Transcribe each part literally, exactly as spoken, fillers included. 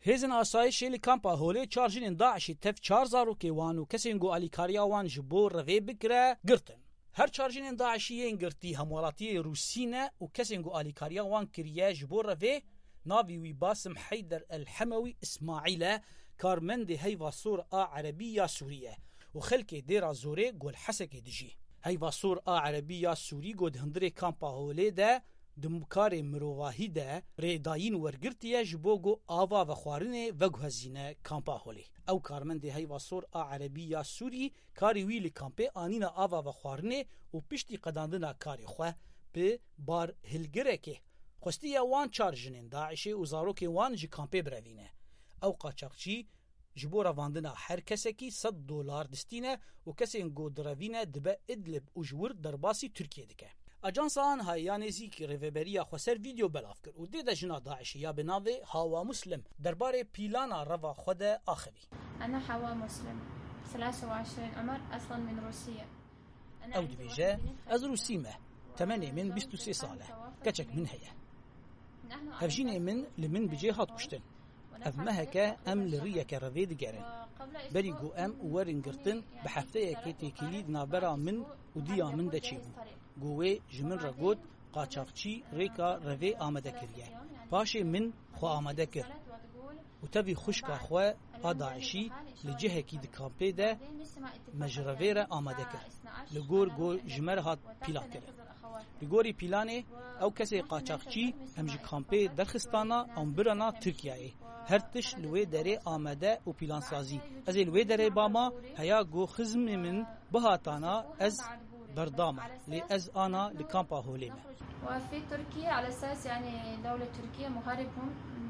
Hêzên asayişê li kampa Holê çar jinên DAIŞê tev çar zarokê wan û kesên ku alîkariya wan ji bo revê bikire, girtin. Her çar jinên DAIŞî yên girtî hemwelatiyê Rûsî ne û kesên ku alîkariya wan kiriye ji bo revê, navê wî Basim Heyder El Hemewî Îsmaîl e, karmendê Heyva Sor a Erebî ya Sûrî ye û xelkê Dêra Zorê Gol Hesekê dijî. Heyva Sor a Erebî ya Sûrî ku di hundirê kampa Holê de di karê mirovahî de rêdayîn wergirtiye ji bo ku ava vexwarinê veguhezîne kampa Holê. Ew karmendê Heyva Sor a Erebî ya Sûrî karê wî li kampê anîna ava vexwarinê û piştî qedandina karê xwe bi barhilgirekê xwestiye wan çar jinên DAIŞê û zarokên wan ji kampê birevîne. Ew qaçaxçî ji bo revandina her kesekî sed dolar distîne û kesên ku direvîne dibe Idlib û ji wir derbasî Tirkiyê dike. Ajansa Anha ya nêzîk Rêveberiya Xweser vîdeo belav kir û dê de jina DAIŞê ya bi navê Hawa Muslim derbarê pîlana reva xwe de axivî. أنا حواء مسلم، ثلاثة وعشرين عمر، أصلا من روسيا. Ew dibêje, ez Rûsî me. Temenê min bîst û sê sal e. Keçek min heye. Hevjînê min li min bi cê hat kuştin. Ev meheke em li riyeke revê digerin. Berî ku em werin girtin, bi hefteyekê têkilî di navbera min û diya min de çêbû. Ku wê ji min re got, qaçaxçî rêka revê amade kiriye. Paşê min xwe amade kir. Û tevî xwişka xwe a DAIŞî li cihekî di kampê de me ji revê re amade kir. Li gor ku ji me re hat pîlan kirin. Li gorî pîlanê, ew kesê qaçaxçî em ji kampê derxistana, em birana Tirkiyeyê. Her tişt li wê derê amade û pîlansazî. Ez ê li wê derê bama, heya ku xizmê min bihatana, ez berdama, lê ez ana li kampa Holê me. وفي تركيا على أساس يعني دولة تركيا مغربهم،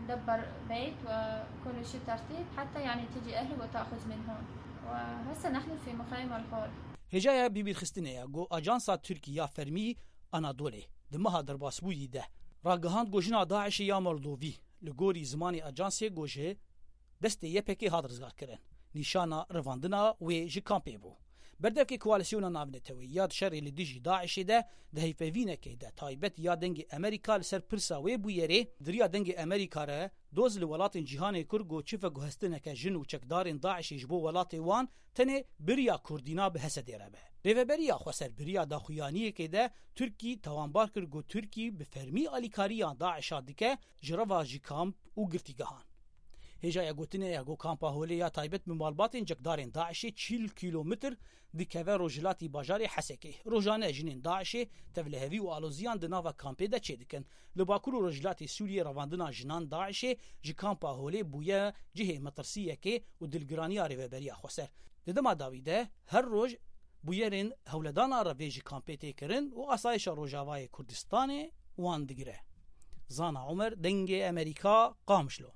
دبر بيت وكل شيء ترتيب حتى يعني تجي أهلي وتأخذ من هون. وهسه نحن في مخيم الخول. Hêjaya bîbîrxistinê ye ku Ajansa Tirkî ya Fermî Anadolê di meha derbasbûyî de ragihand ku jina DAIŞê ya Moldovî li gorî zimanê ajansê ku ji destê Y P G hat rizgarkirin, nîşana revandina wê ji kampê bû. Berdevkê Koalîsyona Navneteweyî ya di şerê li dijî DAIŞê de di heyvpeyvînekê de taybet ya Dengê Amerîka li ser pirsa wê bûyerê di riya Dengê Amerîka re doz li welatên cîhanê kir ku çi veguhestineke jin û çekdarên DAIŞê ji bo welatê wan tenê bi riya Kurdîna bi Hesedê re be. Rêveberiya Xweser bi riya daxuyaniyekê de Tirkî tawanbar kir ku Tirkî bi fermî alîkariya DAIŞa dike ji reva ji kamp û girtîgehan. Hêjaya gotinê ya ku kampa Holê ya taybet bi malbatên cekdarên DAIŞê çil kîlometr dikeve rojhilatî bajarê Hesekê. Rojane jinên DAIŞê tevlihevî û aloziyan di nava kampê de çêdikin. Li Bakur û Rojhilatê Sûriyê revandina jinan DAIŞê ji kampa Holê bûye cihê metirsiyekê û dilgiraniya Rêveberiya Xweser. Di dema dawî de her roj bûyerên hewledana revê ji kampê tê kirin û asayişa Rojavayê Kurdistanê wan digire. Zana Omer, Dengê Amerîka, Qamişlo.